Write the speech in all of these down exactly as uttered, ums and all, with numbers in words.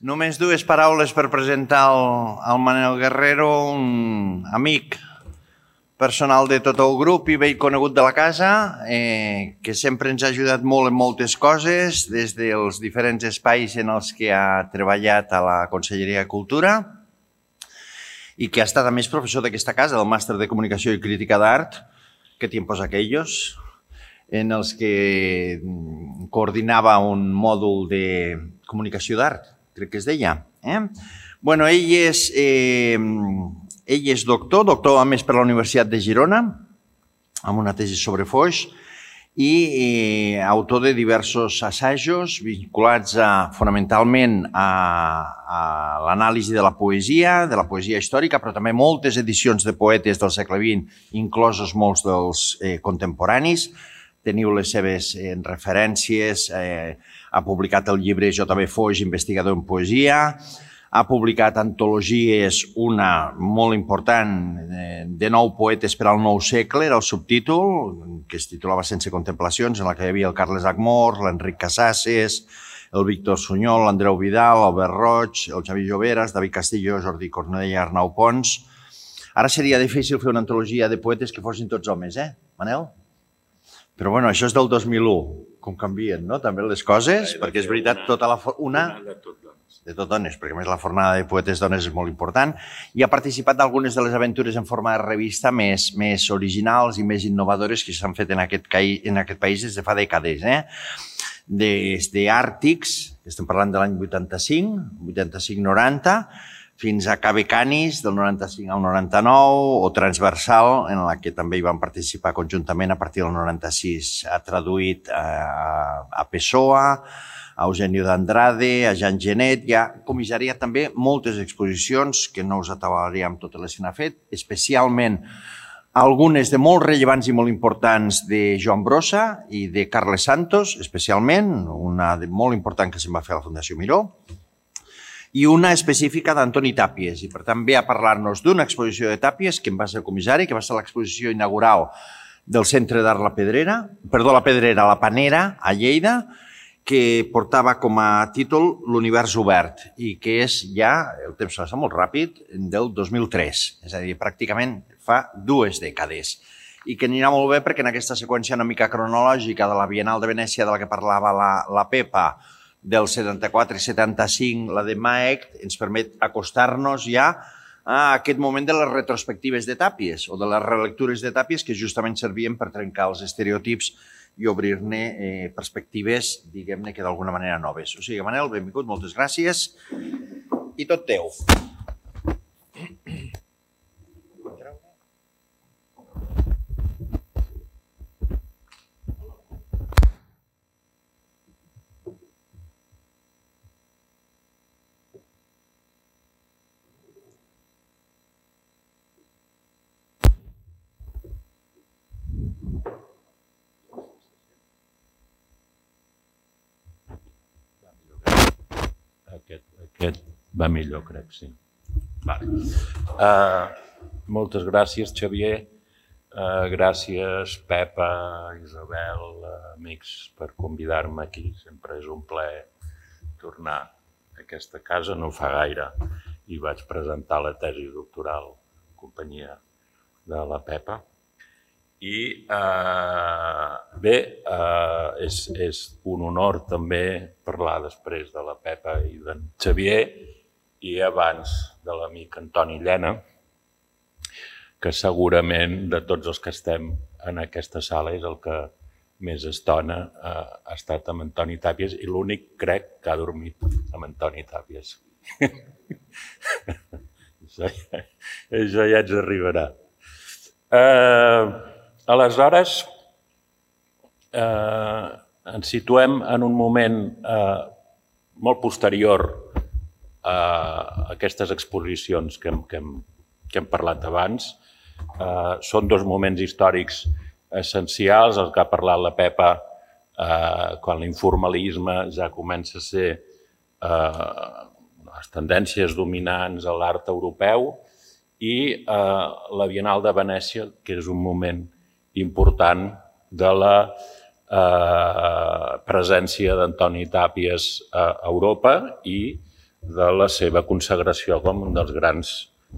Només dues paraules per presentar el Manel Guerrero, un amic personal de tot el grup i vell conegut de la casa, que sempre ens ha ajudat molt en moltes coses, des dels diferents espais en els que ha treballat a la Conselleria de Cultura i que ha estat a més professor d'aquesta casa, del Màster de Comunicació i Crítica d'Art, que tiempos aquellos, en els que coordinava un mòdul de comunicació d'art, crec que es deia. Bueno, ell és, ell és doctor, doctor a més per la Universitat de Girona, amb una tesi sobre Foix, i autor de diversos assajos vinculats fonamentalment a l'anàlisi de la poesia, de la poesia històrica, però també moltes edicions de poetes del segle vint, inclosos molts dels contemporanis. Teniu les seves referències, ha publicat el llibre J B Foix, investigador en poesia, ha publicat antologies, una molt important, de nou poetes per al nou segle, era el subtítol, que es titulava Sense contemplacions, en la que hi havia el Carles Agmor, l'Enric Casasses, el Víctor Sunyol, l'Andreu Vidal, l'Albert Roig, el Xavi Lloberas, David Castillo, Jordi Cornellà i Arnau Pons. Ara seria difícil fer una antologia de poetes que fossin tots homes, eh, Manel? Però bueno, això és del dos mil u, com canvien, no? També les coses, perquè és veritat, tota la... Una... de tot dones, perquè a més la fornada de poetes dones és molt important, i ha participat d'algunes de les aventures en forma de revista més originals i més innovadores que s'han fet en aquest país des de fa dècades. Des d'Àrtics, que estem parlant de l'any vuitanta-cinc, vuitanta-cinc noranta, fins a Cabe Canis, del noranta-cinc al noranta-nou, o Transversal, en la que també hi van participar conjuntament a partir del noranta-sis. Ha traduït a Pessoa, a Eugenio d'Andrade, a Jean Genet, i ha comissariat també moltes exposicions, que no us atabalaré totes les que n'ha fet, especialment algunes de molt rellevants i molt importants de Joan Brossa i de Carles Santos, especialment, una molt important que se'n va fer a la Fundació Miró, i una específica d'Antoni Tàpies, i per tant ve a parlar-nos d'una exposició de Tàpies que en va ser comissari, que va ser l'exposició inaugural del Centre d'Art La Pedrera, perdó, La Pedrera, La Panera, a Lleida, que portava com a títol L'univers obert i que és ja, el temps passa molt ràpid, del dos mil tres, és a dir, pràcticament fa dues dècades, i que anirà molt bé perquè en aquesta seqüència una mica cronològica de la Bienal de Venècia de la que parlava la Pepa, del setanta-quatre i setanta-cinc, la de Maecht, ens permet acostar-nos ja a aquest moment de les retrospectives de Tàpies o de les relectures de Tàpies que justament servien per trencar els estereotips i obrir-ne perspectives, diguem-ne que d'alguna manera noves. O sigui, Manel, benvingut, moltes gràcies i tot teu. Aquest va millor, crec, sí. Moltes gràcies, Xavier. Gràcies, Pepa, Isabel, amics, per convidar-me aquí. Sempre és un plaer tornar a aquesta casa. No fa gaire i vaig presentar la tesi doctoral en companyia de la Pepa. I bé, és un honor també parlar després de la Pepa i d'en Xavier i abans de l'amic Antoni Llena, que segurament de tots els que estem en aquesta sala és el que més estona ha estat amb Antoni Tàpies i l'únic, crec, que ha dormit amb Antoni Tàpies. Això ja ens arribarà. Aleshores, ens situem en un moment molt posterior a aquestes exposicions que hem parlat abans. Són dos moments històrics essencials, el que ha parlat la Pepa, quan l'informalisme ja comença a ser les tendències dominants a l'art europeu, i la Bienal de Venècia, que és un moment important de la presència d'Antoni Tàpies a Europa i de la seva consagració com un dels grans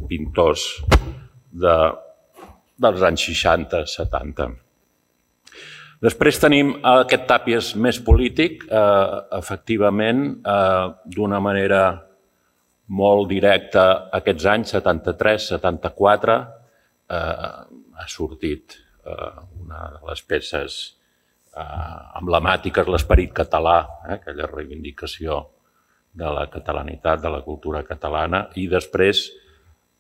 pintors de, dels anys seixanta setanta. Després tenim aquest Tàpies més polític, eh, efectivament, eh, d'una manera molt directa aquests anys, setanta-tres setanta-quatre, eh, ha sortit eh, una de les peces eh, emblemàtiques, l'esperit català, eh, aquella reivindicació de la catalanitat, de la cultura catalana, i després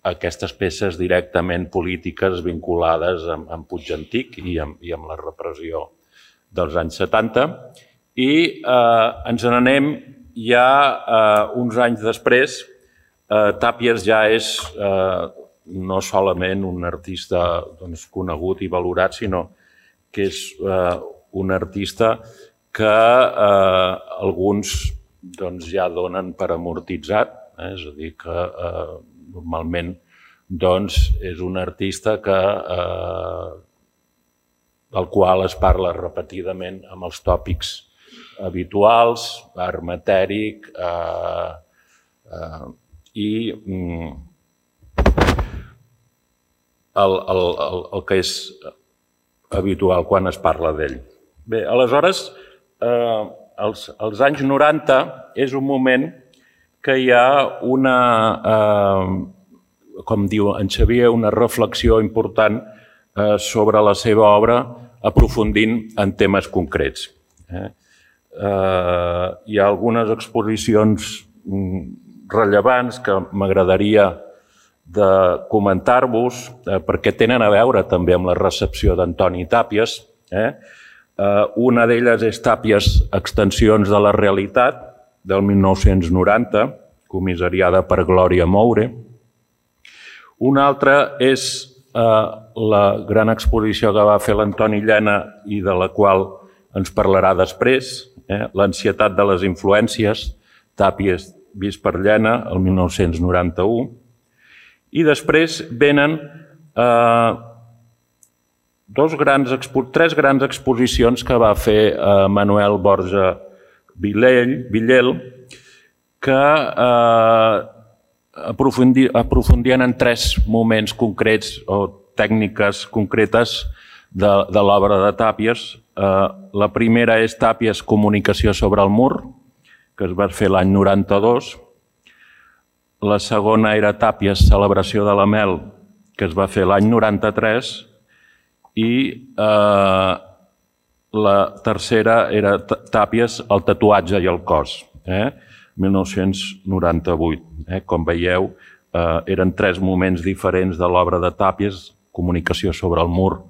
aquestes peces directament polítiques vinculades amb, amb Puig Antic i amb, i amb la repressió dels anys setanta. I eh, ens n'anem ja eh, uns anys després. Eh, Tàpies ja és eh, no solament un artista doncs, conegut i valorat, sinó que és eh, un artista que eh, alguns doncs, ja donen per amortitzat, eh? És a dir, que eh, normalment doncs, és un artista que, eh, del qual es parla repetidament amb els tòpics habituals, art matèric, eh, eh, i mm, el, el, el, el que és habitual quan es parla d'ell. Bé, aleshores, eh, els, els anys noranta és un moment que hi ha una, eh, com diu en Xavier, una reflexió important eh, sobre la seva obra, aprofundint en temes concrets. Eh? Eh, hi ha algunes exposicions rellevants que m'agradaria de comentar-vos, eh, perquè tenen a veure també amb la recepció d'Antoni Tàpies. Eh? Eh, una d'elles és Tàpies, Extensions de la realitat, del mil nou-cents noranta, comissariada per Glòria Moure. Una altra és eh, la gran exposició que va fer l'Antoni Llena i de la qual ens parlarà després, eh? L'ansietat de les influències, Tàpies vist per Llena, el mil nou-cents noranta-u. I després venen eh, dos grans, tres grans exposicions que va fer eh, Manuel Borja Villel, Villel que eh, aprofundi, aprofundien en tres moments concrets o tècniques concretes de, de l'obra de Tàpies. Eh, la primera és Tàpies, Comunicació sobre el mur, que es va fer l'any noranta-dos. La segona era Tàpies, Celebració de la Mel, que es va fer l'any noranta-tres. I eh, la tercera era Tàpies, El tatuatge i el cos, eh? mil nou-cents noranta-vuit. Eh? Com veieu, eh, eren tres moments diferents de l'obra de Tàpies, Comunicació sobre el mur,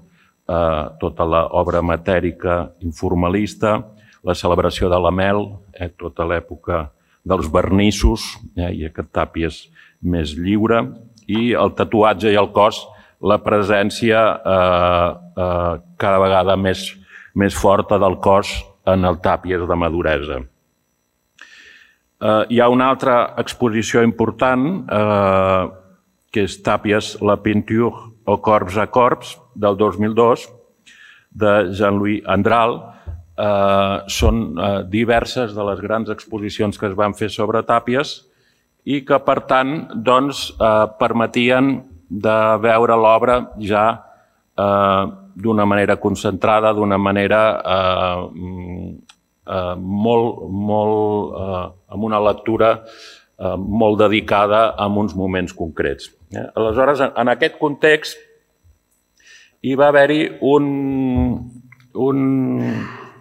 eh, tota l'obra matèrica informalista, la Celebració de la Mel, eh, tota l'època dels vernissos, eh, i aquest Tàpies més lliure, i El tatuatge i el cos, la presència eh, eh, cada vegada més, més forta del cos en el Tàpies de maduresa. Eh, hi ha una altra exposició important, eh, que és Tàpies, La peinture au corps à corps, del dos mil dos, de Jean-Louis Andral. Eh, són eh, diverses de les grans exposicions que es van fer sobre Tàpies i que, per tant, doncs, eh, permetien de veure l'obra ja eh, d'una manera concentrada, d'una manera eh, eh, molt, molt, eh, amb una lectura eh, molt dedicada a uns moments concrets. Eh? Aleshores, en aquest context, hi va haver-hi un, un,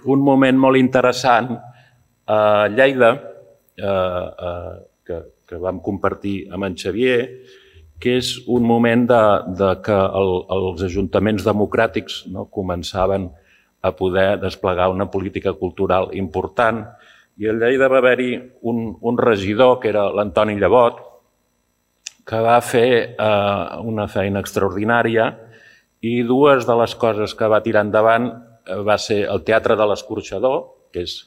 un moment molt interessant a Lleida, eh, eh, que, que vam compartir amb en Xavier, que és un moment de, de que el, els ajuntaments democràtics, no, començaven a poder desplegar una política cultural important. I a Lleida va haver-hi un, un regidor, que era l'Antoni Llevot, que va fer eh, una feina extraordinària, i dues de les coses que va tirar endavant va ser el Teatre de l'Escorxador, que és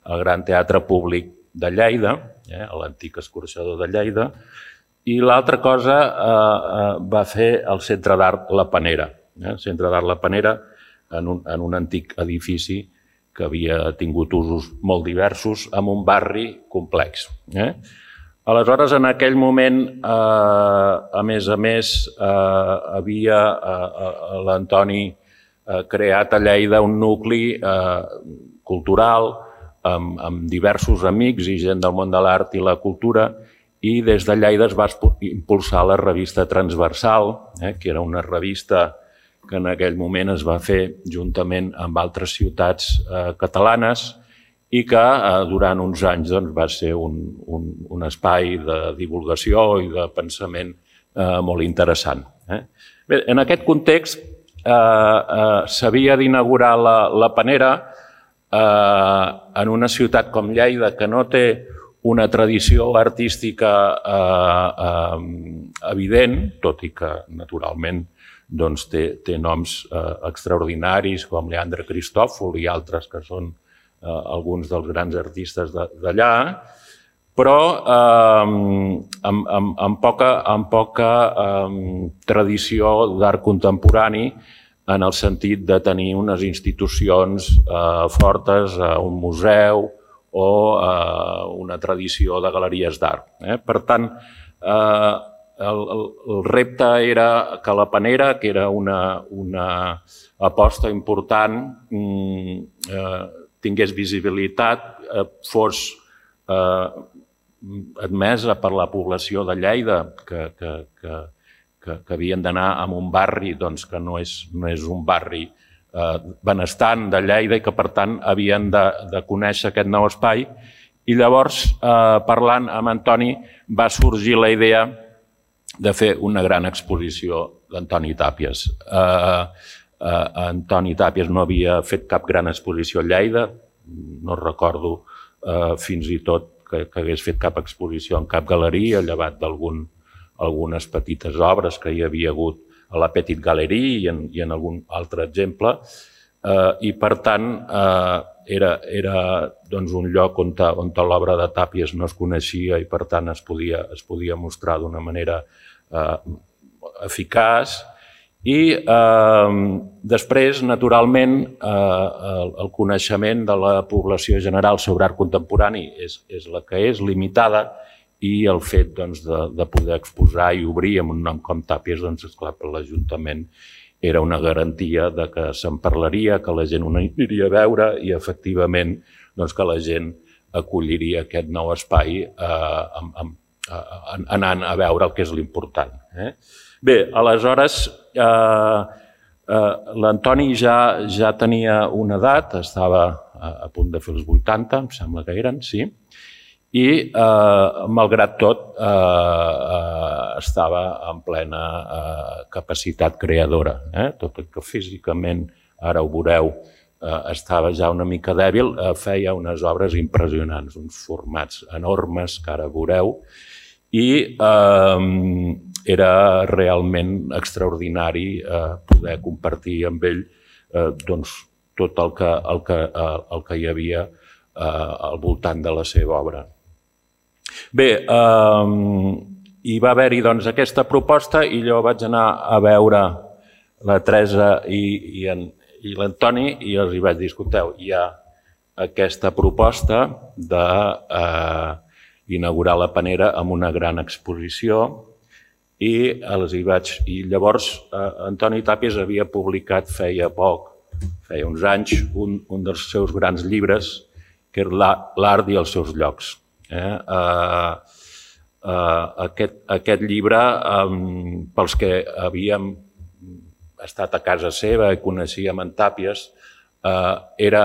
el gran teatre públic de Lleida, eh, l'antic escorxador de Lleida, i l'altra cosa eh, va fer el Centre d'Art La Panera. Eh? El Centre d'Art La Panera, en un, en un antic edifici que havia tingut usos molt diversos, en un barri complex. Eh? Aleshores, en aquell moment, a més a més, havia l'Antoni creat a Lleida un nucli cultural amb diversos amics i gent del món de l'art i la cultura, i des de Lleida es va impulsar la revista Transversal, que era una revista que en aquell moment es va fer juntament amb altres ciutats catalanes i que durant uns anys va ser un espai de divulgació i de pensament molt interessant. Bé, en aquest context s'havia d'inaugurar la Panera en una ciutat com Lleida, que no té una tradició artística evident, tot i que naturalment té noms extraordinaris com Leandre Cristòfol i altres que són alguns dels grans artistes d'allà, però amb poca tradició d'art contemporani en el sentit de tenir unes institucions fortes, un museu o una tradició de galeries d'art. Per tant, el repte era que la Panera, que era una aposta important, tingués visibilitat, fos admesa per la població de Lleida, que havien d'anar a un barri que no és un barri benestant de Lleida i que, per tant, havien de conèixer aquest nou espai. I llavors, parlant amb Antoni, va sorgir la idea de fer una gran exposició d'Antoni Tàpies. Antoni Tàpies no havia fet cap gran exposició a Lleida, no recordo fins i tot que hagués fet cap exposició en cap galeria, llevat d'algunes petites obres que hi havia hagut a la Petite Galerie i en algun altre exemple, i per tant era un lloc on l'obra de Tàpies no es coneixia i per tant es podia mostrar d'una manera eficaç. I després, naturalment, el coneixement de la població general sobre art contemporani és la que és, limitada, i el fet de poder exposar i obrir amb un nom com Tàpies, esclar, per l'Ajuntament era una garantia que se'n parlaria, que la gent ho aniria a veure i, efectivament, que la gent acolliria aquest nou espai anant a veure el que és l'important. Bé, aleshores, l'Antoni ja tenia una edat, estava a punt de fer els vuitanta, em sembla que eren, sí, i, malgrat tot, estava en plena capacitat creadora. Tot i que físicament, ara ho veureu, estava ja una mica dèbil, feia unes obres impressionants, uns formats enormes, que ara veureu, i era realment extraordinari poder compartir amb ell tot el que hi havia al voltant de la seva obra. Bé, hi va haver-hi aquesta proposta i jo vaig anar a veure la Teresa i l'Antoni i els hi vaig dir, escolteu, hi ha aquesta proposta d'inaugurar la Panera amb una gran exposició i llavors Antoni Tàpies havia publicat feia poc, feia uns anys, un dels seus grans llibres, que era L'art i els seus llocs. Aquest llibre, pels que havíem estat a casa seva i coneixíem en Tàpies, era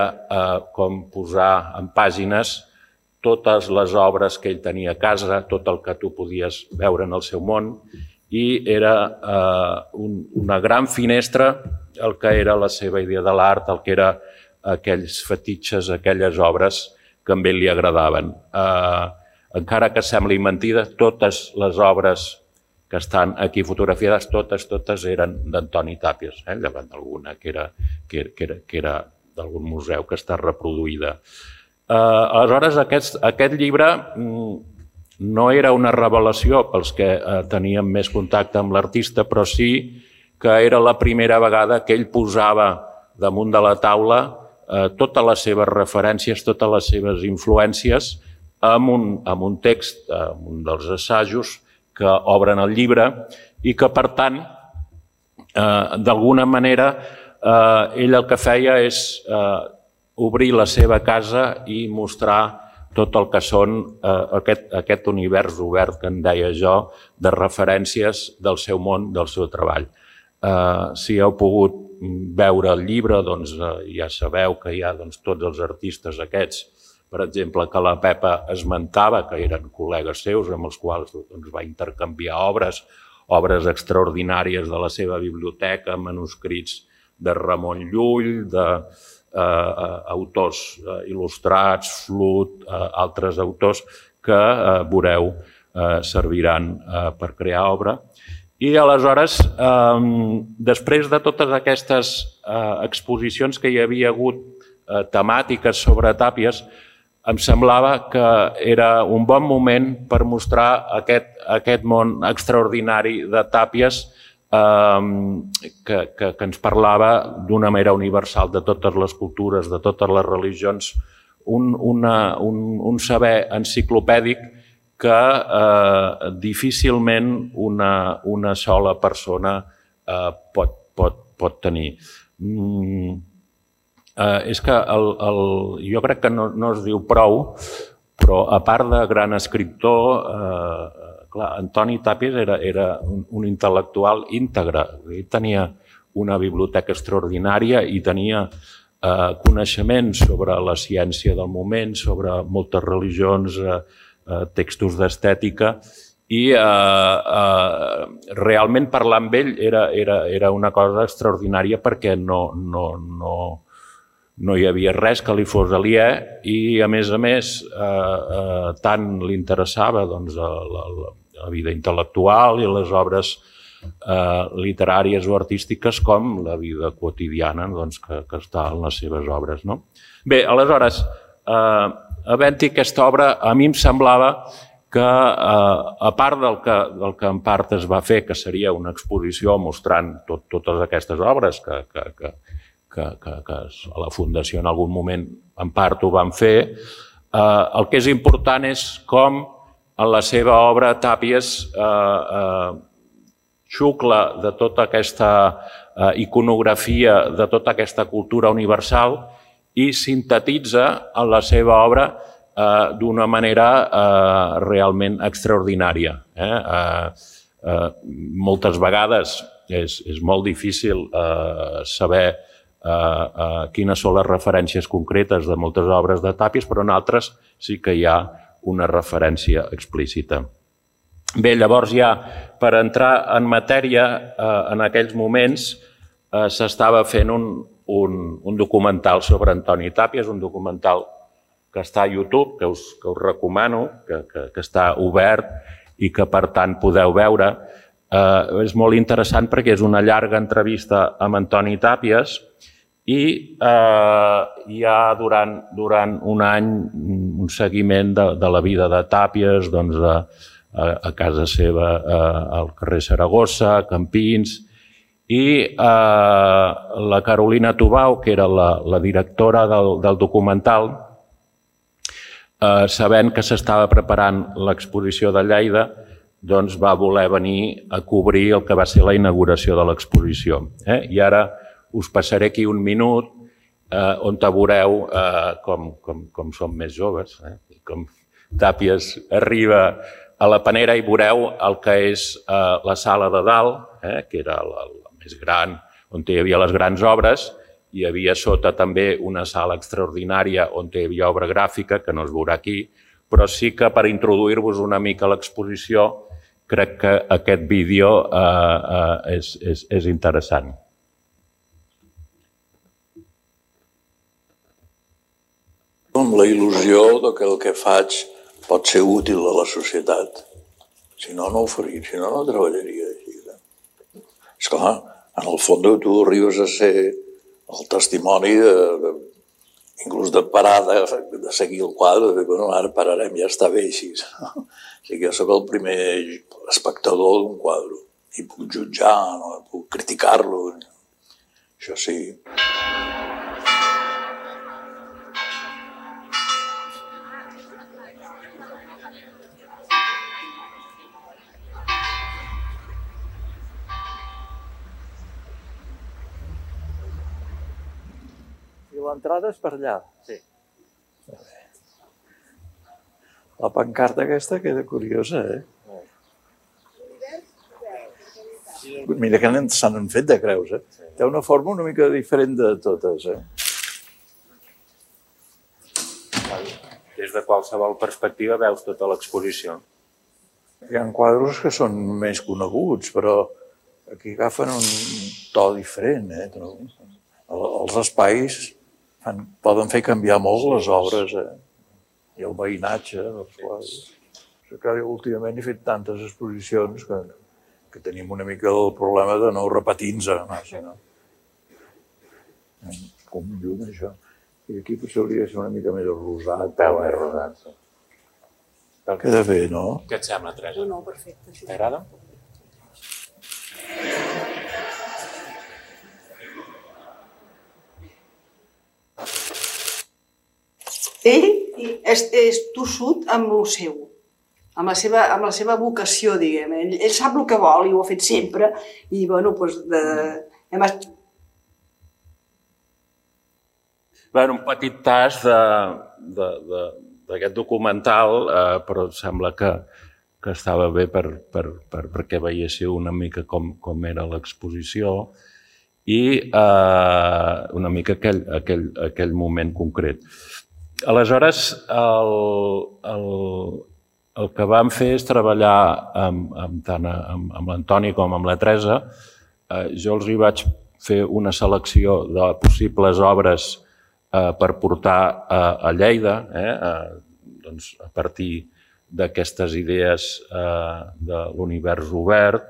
com posar en pàgines totes les obres que ell tenia a casa, tot el que tu podies veure en el seu món, i era una gran finestra el que era la seva idea de l'art, el que era aquells fetitxes, aquelles obres que a ell li agradaven. Encara que sembli mentida, totes les obres que estan aquí fotografiades, totes, totes eren d'Antoni Tàpies, llevant d'alguna que era d'algun museu que està reproduïda. Aleshores, aquest llibre no era una revelació pels que teníem més contacte amb l'artista, però sí que era la primera vegada que ell posava damunt de la taula totes les seves referències, totes les seves influències amb un, amb un text, amb un dels assajos que obren el llibre i que, per tant, eh, d'alguna manera, eh, ell el que feia és eh, obrir la seva casa i mostrar tot el que són eh, aquest, aquest univers obert que en deia jo, de referències del seu món, del seu treball. Eh, si heu pogut veure el llibre, doncs eh, ja sabeu que hi ha doncs, tots els artistes aquests, per exemple, que la Pepa esmentava, que eren col·legues seus amb els quals doncs, va intercanviar obres, obres extraordinàries de la seva biblioteca, manuscrits de Ramon Llull, de eh, autors eh, il·lustrats, Flut, eh, altres autors que eh, veureu eh, serviran eh, per crear obra. I aleshores, eh, després de totes aquestes eh, exposicions que hi havia hagut eh, temàtiques sobre Tàpies, em semblava que era un bon moment per mostrar aquest, aquest món extraordinari de Tàpies eh, que, que, que ens parlava d'una manera universal de totes les cultures, de totes les religions, un, una, un, un saber enciclopèdic que eh, difícilment una, una sola persona eh, pot, pot, pot tenir. Mm, eh, és que el, el, jo crec que no, no es diu prou, però a part de gran escriptor, eh, clar, Antoni Tàpies era, era un, un intel·lectual íntegre. Ell tenia una biblioteca extraordinària i tenia eh, coneixements sobre la ciència del moment, sobre moltes religions, eh, eh, textos d'estètica, i eh, eh, realment parlar amb ell era, era, era una cosa extraordinària perquè no, no, no, no hi havia res que li fos aliè i, a més a més, eh, eh, tant li interessava doncs, la, la, la vida intel·lectual i les obres eh, literàries o artístiques com la vida quotidiana doncs, que, que està en les seves obres. No? Bé, aleshores, eh, havent-hi aquesta obra, a mi em semblava que, eh, a part del que, del que en part es va fer, que seria una exposició mostrant tot, totes aquestes obres que, que, que, que, que, que a la Fundació en algun moment en part ho van fer, eh, el que és important és com en la seva obra Tàpies eh, eh, xucla de tota aquesta eh, iconografia, de tota aquesta cultura universal i sintetitza en la seva obra eh, d'una manera eh, realment extraordinària. Eh? Eh, eh, moltes vegades és, és molt difícil eh, saber eh, eh, quines són les referències concretes de moltes obres de Tàpies, però en altres sí que hi ha una referència explícita. Bé, llavors ja, per entrar en matèria, eh, en aquells moments eh, s'estava fent un, un, un documental sobre Antoni Tàpies, un documental que està a YouTube, que us, que us recomano, que, que, que està obert i que, per tant, podeu veure. Eh, és molt interessant perquè és una llarga entrevista amb Antoni Tàpies i eh, hi ha durant, durant un any un seguiment de, de la vida de Tàpies doncs, a, a, a casa seva, eh, al carrer Saragossa, a Campins, i eh, la Carolina Tubau, que era la, la directora del, del documental, eh, sabent que s'estava preparant l'exposició de Lleida, doncs va voler venir a cobrir el que va ser la inauguració de l'exposició. Eh? I ara us passaré aquí un minut eh, on veureu eh, com, com, com som més joves, eh? Com Tàpies arriba a la Panera i veureu el que és eh, la sala de dalt, eh? Que era la, la més gran, on hi havia les grans obres. Hi havia sota també una sala extraordinària on hi havia obra gràfica, que no es veurà aquí, però sí que per introduir-vos una mica a l'exposició crec que aquest vídeo eh, eh, és, és, és interessant. Amb la il·lusió que el que faig pot ser útil a la societat. Si no, no ho faria, si no, no treballaria així. Esclar, en el fons tu arribes a ser el testimoni de, de, inclús de parar de, de seguir el quadre, de dir, bueno, ara pararem, ja està bé així. O sigui, jo soc el primer espectador d'un quadre i puc jutjar, no? Puc criticar-lo. Això sí. l'entrada és per allà. Sí. La pancarta aquesta queda curiosa, eh? Mira que s'han fet de creus, eh? Té una forma una mica diferent de totes, eh? Des de qualsevol perspectiva veus tota l'exposició. Hi ha quadres que són més coneguts, però aquí agafen un to diferent, eh? Els espais fan, poden fer canviar molt les obres, eh? I el veïnatge dels quadres. Últimament he fet tantes exposicions que, que tenim una mica el problema de no repetir-nos massa, no? Com llum, això. I aquí potser hauria de ser una mica més rosat. Un peu més rosat, sí. Queda bé, no? Què et sembla, Teresa? No, no, perfecte. T'agrada? Ell és, és tossut amb el seu, amb la seva, amb la seva vocació, diguem. Ell, ell sap el que vol i ho ha fet sempre. I, bueno, doncs, de, además... Bueno, un petit tas d'aquest documental, eh, però sembla que, que estava bé per, per, per, perquè veiéssiu una mica com, com era l'exposició i eh, una mica aquell, aquell, aquell moment concret. Aleshores, el, el, el que vam fer és treballar amb, amb, tant amb, amb l'Antoni com amb la Teresa. Eh, jo els hi vaig fer una selecció de possibles obres eh, per portar a, a Lleida, eh, eh, doncs a partir d'aquestes idees eh, de l'univers obert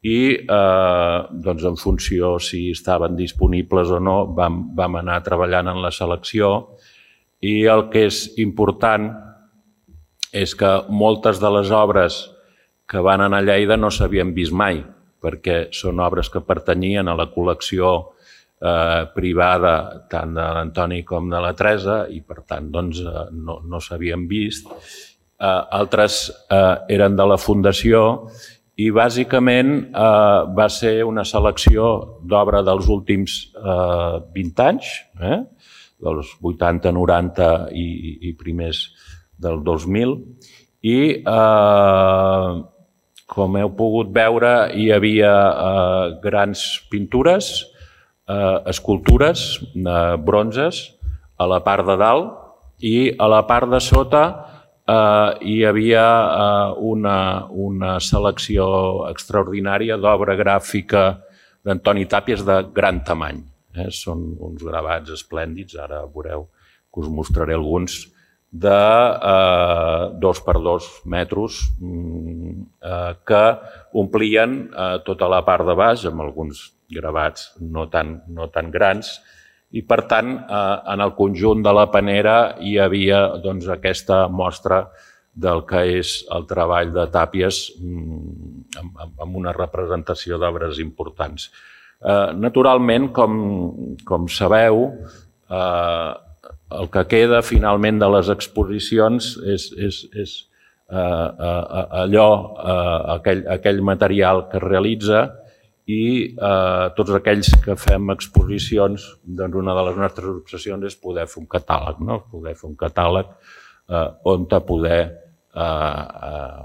i eh, doncs en funció si estaven disponibles o no vam, vam anar treballant en la selecció. I el que és important és que moltes de les obres que van anar a Lleida no s'havien vist mai, perquè són obres que pertanyien a la col·lecció eh, privada tant de l'Antoni com de la Teresa i, per tant, doncs, eh, no, no s'havien vist. Eh, altres eh, eren de la Fundació i, bàsicament, eh, va ser una selecció d'obra dels últims eh, vint anys, eh? dels vuitanta, noranta i, i primers del dos mil. I, eh, com heu pogut veure, hi havia eh, grans pintures, eh, escultures, eh, bronzes, a la part de dalt i a la part de sota eh, hi havia eh, una, una selecció extraordinària d'obra gràfica d'Antoni Tàpies de gran tamany. Eh, són uns gravats esplèndids, ara veureu que us mostraré alguns, de eh, dos per dos metres eh, que omplien eh, tota la part de baix, amb alguns gravats no tan, no tan grans, i per tant eh, en el conjunt de la panera hi havia doncs, aquesta mostra del que és el treball de Tàpies amb, amb una representació d'obres importants. Eh, naturalment, com, com sabeu, eh, el que queda finalment de les exposicions és, és, és eh, eh, allò, eh, aquell, aquell material que es realitza i eh, tots aquells que fem exposicions, doncs una de les nostres obsessions és poder fer un catàleg, no? Poder fer un catàleg eh, on te poder eh, eh,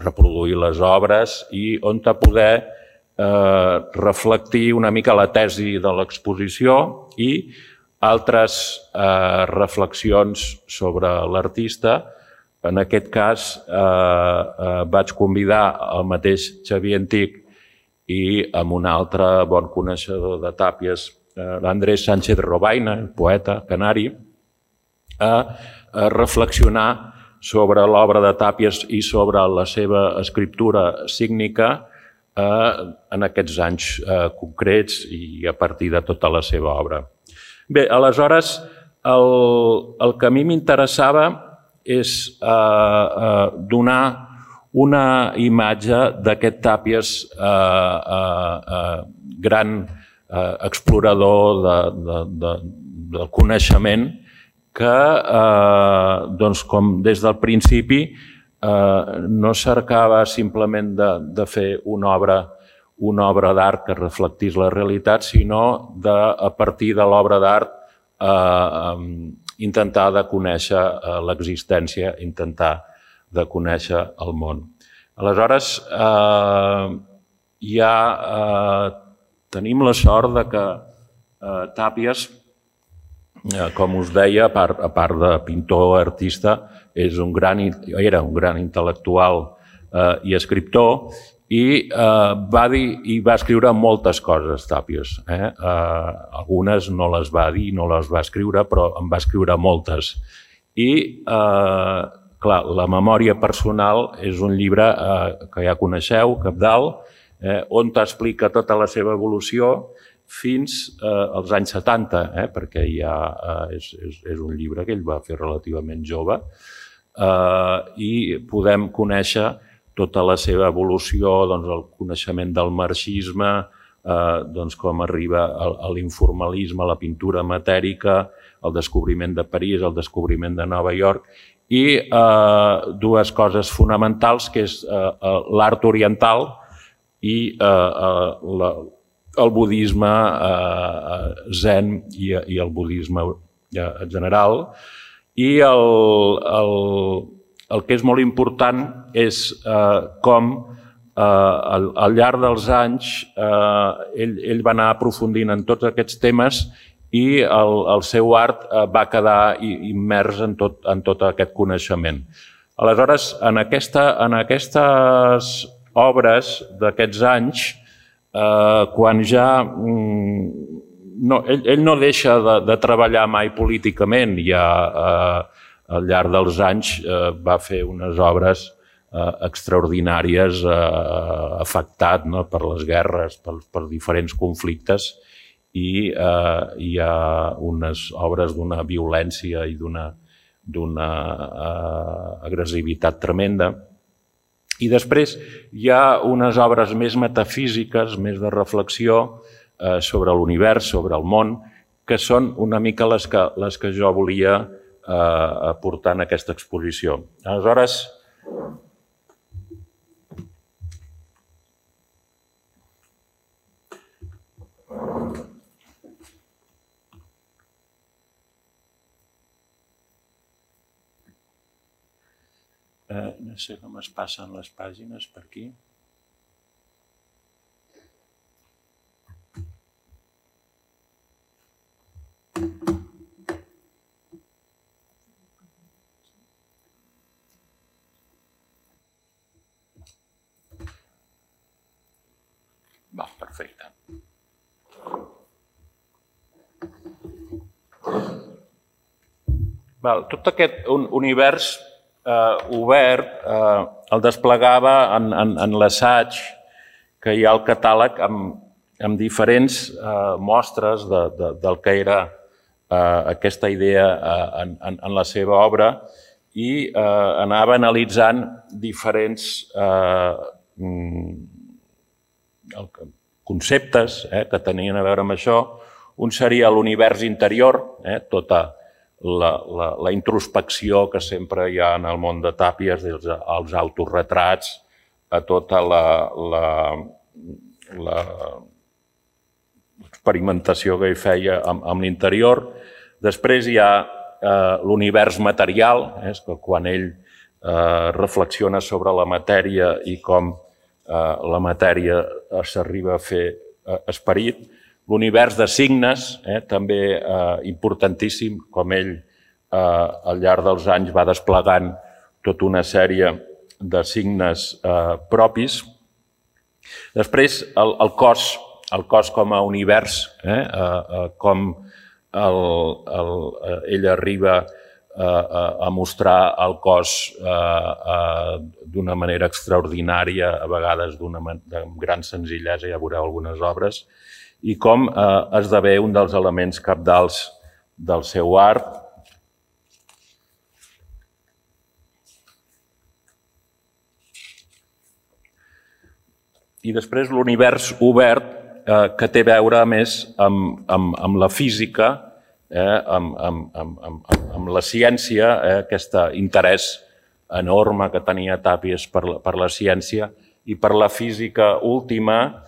reproduir les obres i on te poder Eh, reflectir una mica la tesi de l'exposició i altres eh, reflexions sobre l'artista. En aquest cas eh, eh, vaig convidar el mateix Xavier Antich i amb un altre bon coneixedor de Tàpies, eh, l'Andrés Sánchez Robaina, el poeta canari, a, a reflexionar sobre l'obra de Tàpies i sobre la seva escriptura sígnica en aquests anys concrets i a partir de tota la seva obra. Bé, aleshores, el, el que a mi m'interessava és eh, eh, donar una imatge d'aquest Tàpies eh, eh, eh, gran eh, explorador de, de, de, del coneixement que, eh, doncs, com des del principi, Uh, no cercava simplement de, de fer una obra, una obra d'art que reflectís la realitat, sinó de, a partir de l'obra d'art intentar de conèixer l'existència, intentar de conèixer el món. Aleshores, ja tenim la sort de que Tàpies, com us deia, a part de pintor, artista, era un gran intel·lectual i escriptor, i va dir i va escriure moltes coses, Tàpies. Algunes no les va dir, no les va escriure, però en va escriure moltes. I, clar, la memòria personal és un llibre que ja coneixeu, cabdal, on t'explica tota la seva evolució fins als anys setanta, perquè ja és un llibre que ell va fer relativament jove, i podem conèixer tota la seva evolució, el coneixement del marxisme, com arriba a l'informalisme, a la pintura matèrica, el descobriment de París, el descobriment de Nova York, i dues coses fonamentals, que és l'art oriental i el budisme zen i el budisme en general. I el que és molt important és com al llarg dels anys ell va anar aprofundint en tots aquests temes i el seu art va quedar immers en tot aquest coneixement. Aleshores, en aquestes obres d'aquests anys, quan ja... Ell no deixa de treballar mai políticament, ja al llarg dels anys va fer unes obres extraordinàries, afectat per les guerres, per diferents conflictes, i hi ha unes obres d'una violència i d'una agressivitat tremenda. I després hi ha unes obres més metafísiques, més de reflexió sobre l'univers, sobre el món, que són una mica les que jo volia aportar en aquesta exposició. Aleshores, no sé com es passen les pàgines per aquí. Va, perfecte. Tot aquest univers obert el desplegava en l'assaig que hi ha al catàleg amb diferents mostres del que era aquesta idea en la seva obra i anava analitzant diferents conceptes que tenien a veure amb això. Un seria l'univers interior, tota la introspecció que sempre hi ha en el món de Tàpies, dels autorretrats, a tota l'experimentació que hi feia amb l'interior. Després hi ha l'univers material, quan ell reflexiona sobre la matèria i com la matèria s'arriba a fer esperit. L'univers de signes, també importantíssim, com ell al llarg dels anys va desplegant tota una sèrie de signes propis. Després, el cos, el cos com a univers, com ell arriba a mostrar el cos d'una manera extraordinària, a vegades de gran senzillesa, ja veureu algunes obres, i com esdevé un dels elements cabdals del seu art. I després l'univers obert, que té a veure més amb la física, amb la ciència, aquest interès enorme que tenia Tàpies per la ciència i per la física última,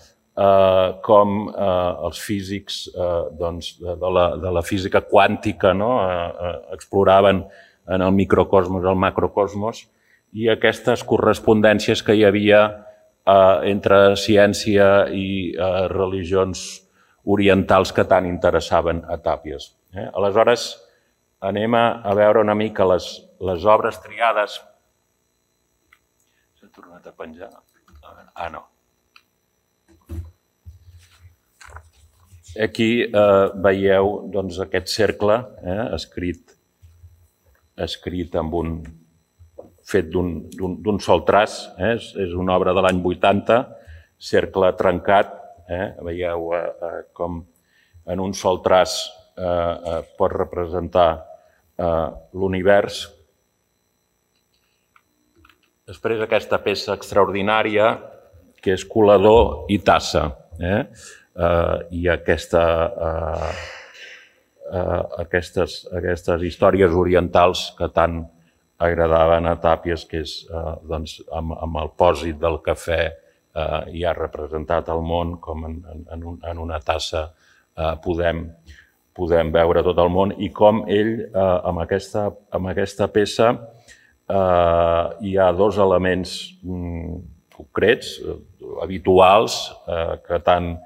com els físics de la física quàntica exploraven en el microcosmos, el macrocosmos, i aquestes correspondències que hi havia entre ciència i religions orientals que tant interessaven a Tàpies. Aleshores, anem a veure una mica les obres triades. S'ha tornat a penjar? Ah, no. Aquí veieu aquest cercle escrit amb un... fet d'un sol traç, és una obra de l'any vuitanta, cercle trencat, veieu com en un sol traç pot representar l'univers. Després aquesta peça extraordinària, que és colador i tassa, i aquestes històries orientals que tant agradaven a Tàpies, que és amb el pòsit del cafè ja representat al món, com en una tassa podem veure tot el món, i com ell, amb aquesta peça, hi ha dos elements concrets, habituals, que tant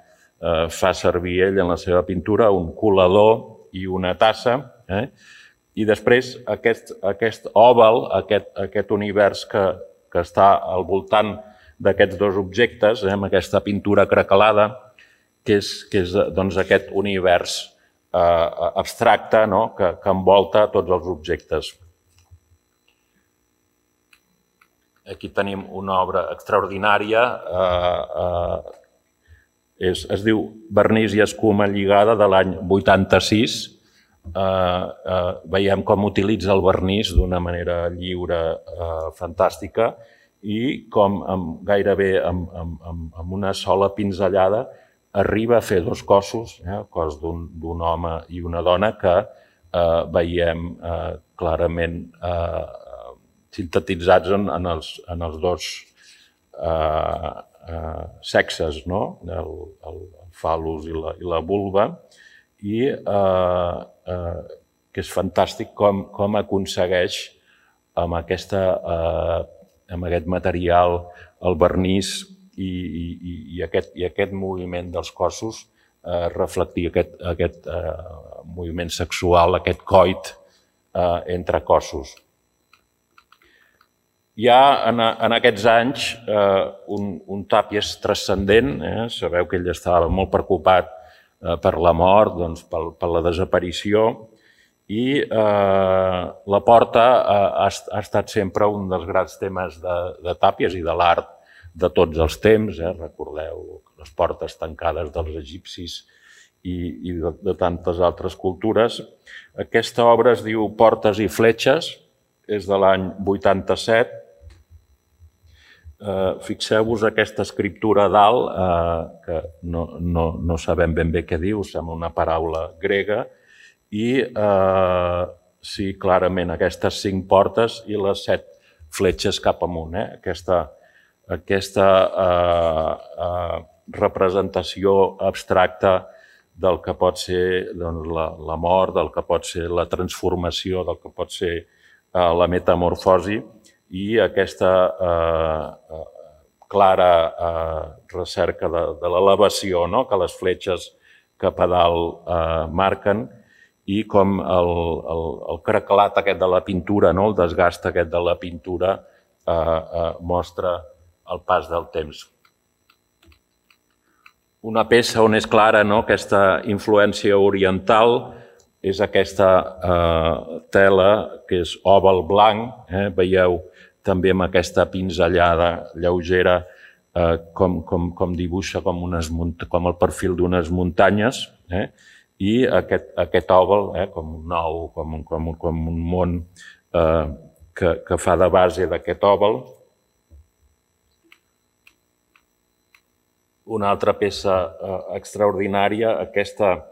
fa servir ell en la seva pintura, un colador i una tassa, i després aquest òval, aquest univers que està al voltant d'aquests dos objectes, amb aquesta pintura craquelada, que és aquest univers abstracte que envolta tots els objectes. Aquí tenim una obra extraordinària, es diu Vernís i escuma lligada, de l'any vuitanta-sis. Veiem com utilitza el vernís d'una manera lliure, fantàstica, i com gairebé amb una sola pinzellada arriba a fer dos cossos, el cos d'un home i una dona, que veiem clarament sintetitzats en els dos sexes, el fal·lus i la vulva, i que és fantàstic com aconsegueix amb aquest material, el vernís i aquest moviment dels cossos, reflectir aquest moviment sexual, aquest coit entre cossos. Hi ha en aquests anys un Tàpies transcendent, sabeu que ell estava molt preocupat per la mort, per la desaparició, i la porta ha estat sempre un dels grans temes de Tàpies i de l'art de tots els temps. Recordeu les portes tancades dels egipcis i de tantes altres cultures. Aquesta obra es diu Portes i fletxes, és de l'any vuitanta-set. Fixeu-vos aquesta escriptura a dalt, que no sabem ben bé què diu, sembla una paraula grega, i sí, clarament, aquestes cinc portes i les set fletxes cap amunt. Aquesta representació abstracta del que pot ser la mort, del que pot ser la transformació, del que pot ser la metamorfosi, i aquesta clara recerca de l'elevació que les fletxes cap a dalt marquen, i com el craquelat aquest de la pintura, el desgast aquest de la pintura, mostra el pas del temps. Una peça on és clara aquesta influència oriental és aquesta tela, que és òval blanc. Veieu també amb aquesta pinzellada lleugera com dibuixa com el perfil d'unes muntanyes, i aquest òval, com un ou, com un món que fa de base d'aquest òval. Una altra peça extraordinària, aquesta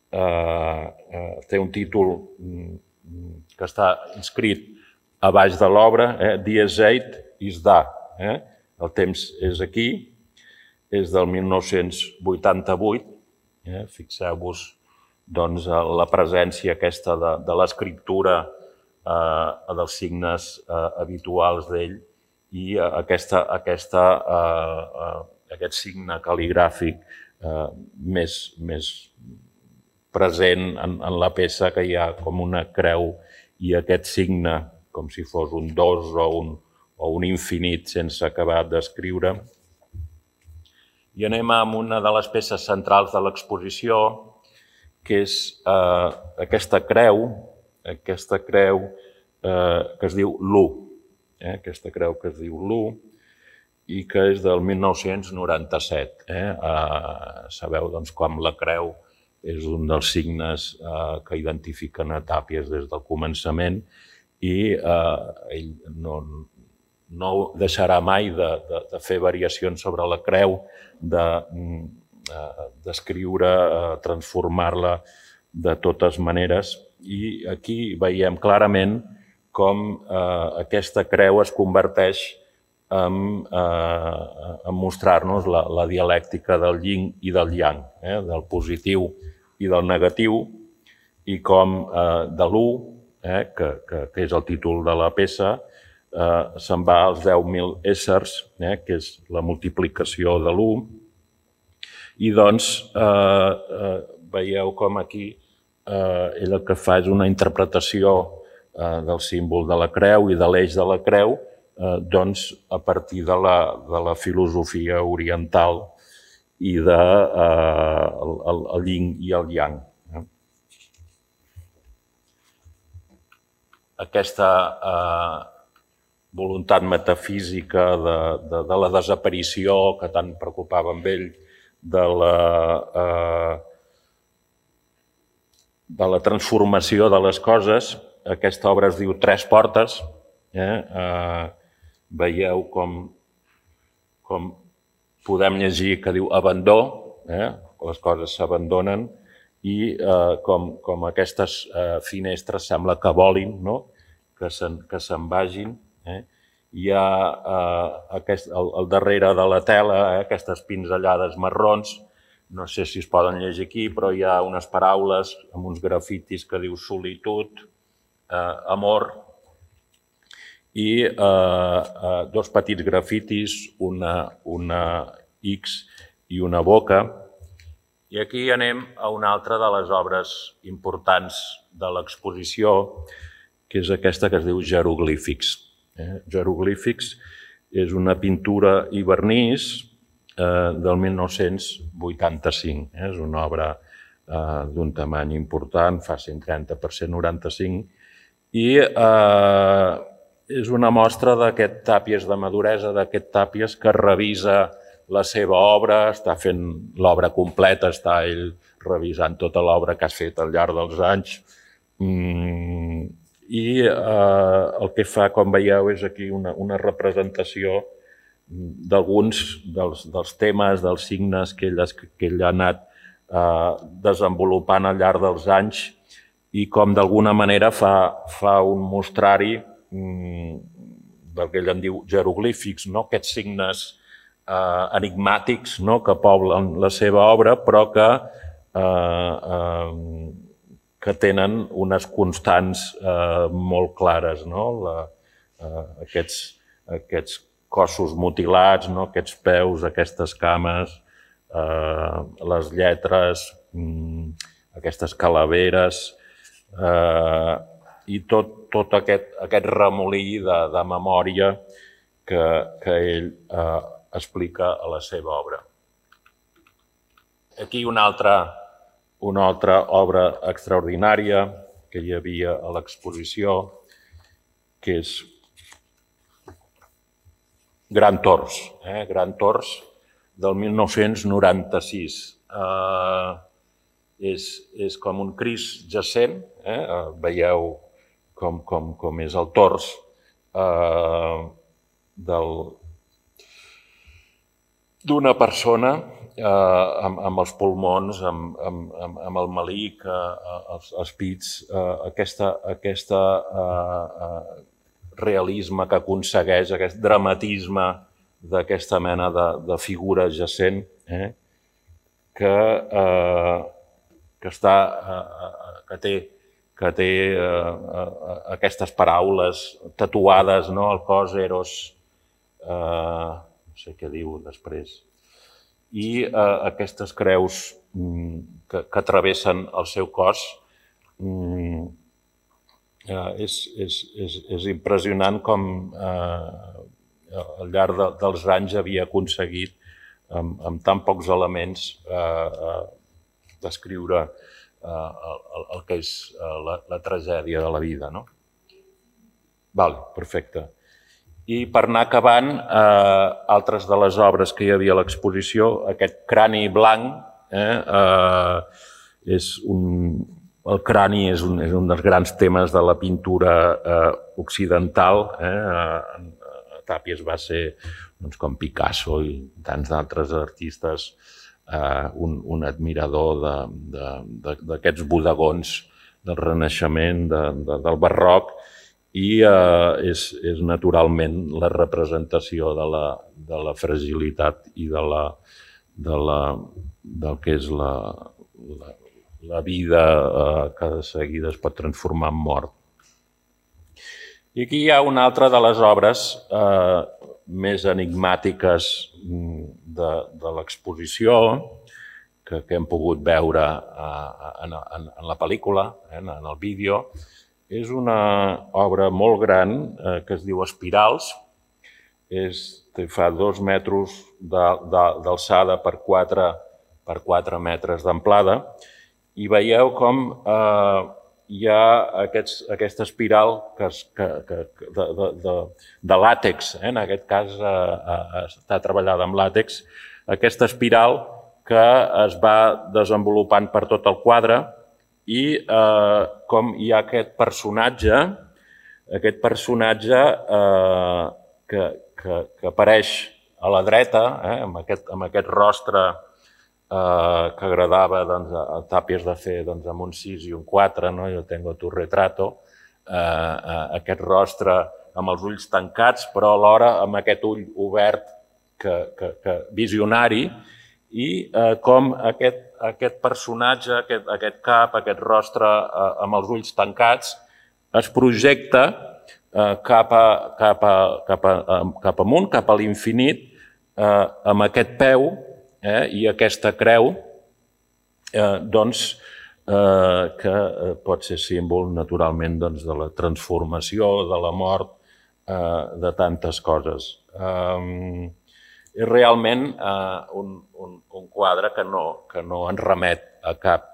té un títol que està inscrit a baix de l'obra, Die Zeit ist da, el temps és aquí, és del mil nou-cents vuitanta-vuit. Fixeu-vos la presència aquesta de l'escriptura, dels signes habituals d'ell i aquest signe cal·ligràfic més present en la peça, que hi ha com una creu i aquest signe com si fos un dos o un infinit sense acabar d'escriure. I anem a una de les peces centrals de l'exposició, que és aquesta creu, aquesta creu que es diu l'U, aquesta creu que es diu l'U i que és del mil nou-cents noranta-set. Sabeu com la creu és un dels signes que identifiquen a Tàpies des del començament i ell no deixarà mai de fer variacions sobre la creu, d'escriure, transformar-la de totes maneres. I aquí veiem clarament com aquesta creu es converteix en mostrar-nos la dialèctica del yin i del yang, del positiu i del negatiu, i com de l'u, que és el títol de la peça, se'n va als deu mil éssers, que és la multiplicació de l'u, i doncs veieu com aquí ell el que fa és una interpretació del símbol de la creu i de l'eix de la creu a partir de la filosofia oriental i del yin i el yang. Aquesta voluntat metafísica de la desaparició que tant preocupava amb ell, de la transformació de les coses. Aquesta obra es diu Tres portes. Veieu com podem llegir que diu abandó, les coses s'abandonen, i com aquestes finestres sembla que volin, que se'n vagin. Hi ha al darrere de la tela aquestes pinzellades marrons, no sé si es poden llegir aquí, però hi ha unes paraules amb uns grafitis que diu solitud, amor, i dos petits grafitis, una X i una boca. I aquí anem a una altra de les obres importants de l'exposició, que és aquesta que es diu Jeroglífics. Jeroglífics és una pintura i vernís del mil nou-cents vuitanta-cinc. És una obra d'un tamany important, fa cent trenta per cent noranta-cinc, i és una mostra d'aquest Tàpies de maduresa, d'aquest Tàpies que revisa la seva obra, està fent l'obra completa, està ell revisant tota l'obra que has fet al llarg dels anys. I el que fa, com veieu, és aquí una representació d'alguns dels temes, dels signes que ell ha anat desenvolupant al llarg dels anys i com d'alguna manera fa un mostrari del que ell en diu jeroglífics, aquests signes enigmàtics que poblen la seva obra, però que tenen unes constants molt clares. Aquests cossos mutilats, aquests peus, aquestes cames, les lletres, aquestes calaveres i tot aquest remolí de memòria que ell explica a la seva obra. Aquí una altra obra extraordinària que hi havia a l'exposició, que és Gran Tors. Gran Tors del mil nou-cents noranta-sis. És com un Crist jacent, veieu com és el tors d'una persona amb els pulmons, amb el melic, els pits, aquest realisme que aconsegueix, aquest dramatisme d'aquesta mena de, de figura adjacent eh, que, eh, que, està, eh, que té, que té eh, aquestes paraules tatuades no, al cos, Eros, eh, no sé què diu després, i eh, aquestes creus mm, que, que travessen el seu cos. Mm, eh, és, és, és, és impressionant com eh, al llarg de, dels anys havia aconseguit amb, amb tan pocs elements eh, eh, descriure eh, el, el que és eh, la, la tragèdia de la vida. No? Vale, perfecte. I per anar acabant, eh, altres de les obres que hi havia a l'exposició, aquest crani blanc, eh, eh, és un, el crani és un, és un dels grans temes de la pintura eh, occidental. Eh, Tàpies va ser, doncs, com Picasso i tants d'altres artistes, eh, un, un admirador d'aquests bodegons del Renaixement, de, de, del Barroc, i eh, és, és naturalment la representació de la, de la fragilitat i de la, de la, del que és la, la, la vida eh, que de seguida es pot transformar en mort. I aquí hi ha una altra de les obres eh, més enigmàtiques de, de l'exposició que, que hem pogut veure eh, en, en, en la pel·lícula, eh, en el vídeo. És una obra molt gran eh, que es diu Espirals. És, fa dos metres d'alçada per quatre, per quatre metres d'amplada i veieu com eh, hi ha aquests, aquesta espiral que, que, que, de, de, de, de làtex, eh? En aquest cas eh, eh, està treballada amb làtex, aquesta espiral que es va desenvolupant per tot el quadre i eh, com hi ha aquest personatge, aquest personatge eh, que, que, que apareix a la dreta, eh? amb, aquest, amb aquest rostre Uh, que agradava doncs, a Tàpies de fer doncs, amb un sis i un quatre, no? Jo tengo tu retrato, uh, uh, aquest rostre amb els ulls tancats, però alhora amb aquest ull obert que, que, que visionari, i uh, com aquest, aquest personatge, aquest, aquest cap, aquest rostre uh, amb els ulls tancats, es projecta uh, cap, a, cap, a, cap, a, cap amunt, cap a l'infinit, uh, amb aquest peu, Eh, i aquesta creu eh, doncs, eh, que pot ser símbol naturalment doncs, de la transformació, de la mort, eh, de tantes coses. Eh, és realment eh, un, un, un quadre que no, que no ens remet a cap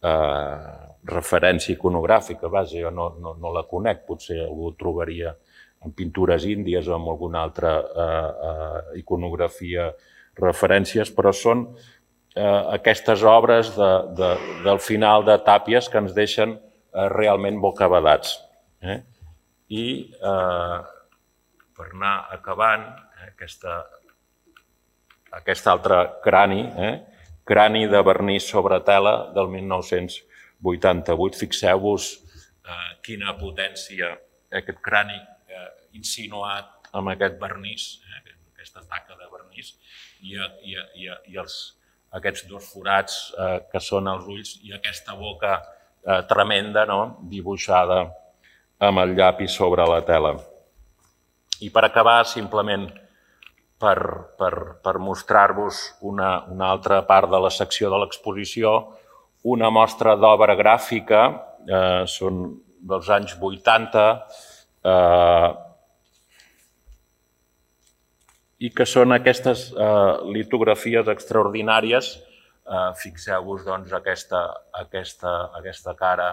eh, referència iconogràfica. Vaja, jo no, no, no la conec, potser algú ho trobaria en pintures índies o en alguna altra eh, eh, iconografia referències, però són eh, aquestes obres de, de, del final de Tàpies que ens deixen eh, realment bocabadats. Eh? I eh, per anar acabant, eh, aquesta, aquest altre crani, eh, crani de vernís sobre tela del mil nou-cents vuitanta-vuit. Fixeu-vos eh, quina potència aquest crani eh, insinuat amb aquest vernís, eh, aquesta taca de vernís, i, i, i, i els, aquests dos forats eh, que són els ulls i aquesta boca eh, tremenda, no? Dibuixada amb el llapis sobre la tela. I per acabar, simplement per, per, per mostrar-vos una, una altra part de la secció de l'exposició, una mostra d'obra gràfica, eh, són dels anys vuitanta, eh, i que són aquestes eh, litografies extraordinàries. Eh, Fixeu-vos doncs, aquesta, aquesta, aquesta cara,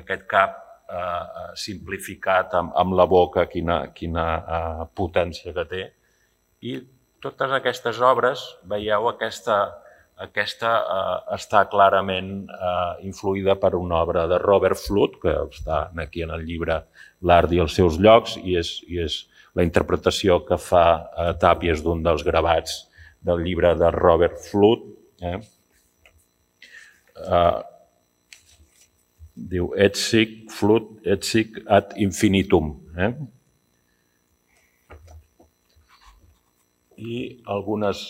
aquest cap eh, simplificat amb, amb la boca, quina, quina eh, potència que té. I totes aquestes obres, veieu, aquesta, aquesta eh, està clarament eh, influïda per una obra de Robert Fludd, que està aquí en el llibre L'art i els seus llocs, i és, i és la interpretació que fa eh, Tàpies d'un dels gravats del llibre de Robert Fludd. Eh? Eh, diu, et sic, Fludd, et sic ad infinitum. Eh? i algunes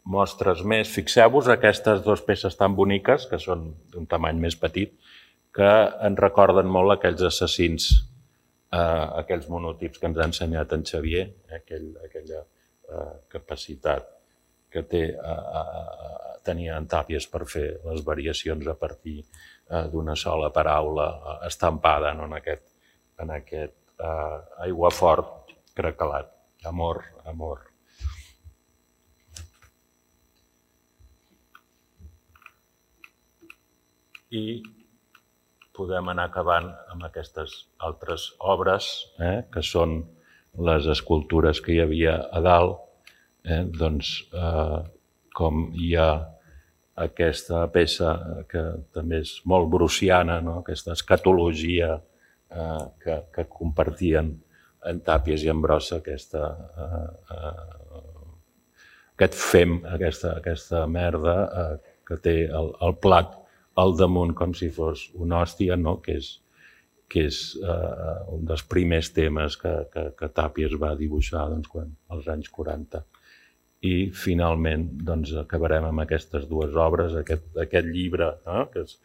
mostres més. Fixeu-vos aquestes dues peces tan boniques, que són d'un tamany més petit, que ens recorden molt aquells assassins, eh, aquells monotips que ens ha ensenyat en Xavier, aquell, aquella eh, capacitat que té eh, eh, tenia en Tàpies per fer les variacions a partir eh, d'una sola paraula eh, estampada no? en aquest, en aquest eh, aiguafort craquelat. Amor, amor. I podem anar acabant amb aquestes altres obres, eh, que són les escultures que hi havia a dalt. Eh, doncs, eh, com hi ha aquesta peça que també és molt bruciana, no? Aquesta escatologia eh, que, que compartien en Tàpies i en Brossa, aquesta, eh, eh, aquest fem, aquesta, aquesta merda eh, que té el, el plat al damunt com si fos una hòstia, no? que és, que és eh, un dels primers temes que, que, que Tàpies va dibuixar doncs, quan, als anys quaranta. I finalment doncs, acabarem amb aquestes dues obres, aquest, aquest llibre no? que, és,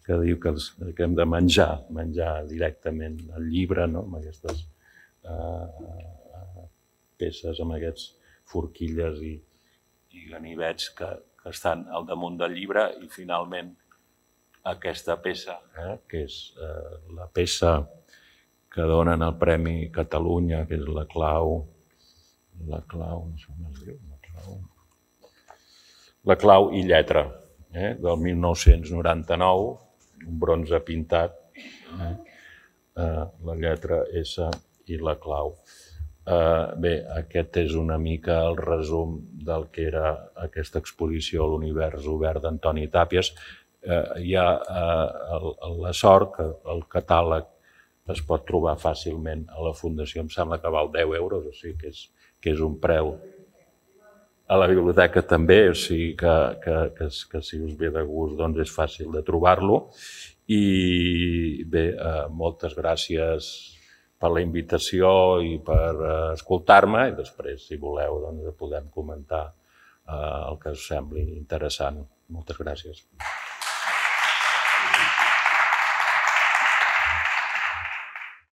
que diu que, els, que hem de menjar, menjar directament el llibre, no? amb aquestes eh, peces, amb aquests forquilles i, i ganivets que, que estan al damunt del llibre i finalment aquesta peça, eh, que és eh, la peça que donen el Premi Catalunya, que és la clau, la clau, no sé com es diu, la clau, la clau i lletra, eh, del mil nou-cents noranta-nou, un bronze pintat, eh, eh, la lletra S i la clau. Eh, bé, aquest és una mica el resum del que era aquesta exposició a l'univers obert d'Antoni Tàpies. Eh, hi ha eh, la sort que el catàleg es pot trobar fàcilment a la Fundació, em sembla que val deu euros, o sigui que és, que és un preu. A la biblioteca també, o sigui que, que, que, que si us ve de gust doncs és fàcil de trobar-lo. I bé, eh, moltes gràcies per la invitació i per eh, escoltar-me i després, si voleu, doncs podem comentar eh, el que us sembli interessant. Moltes gràcies.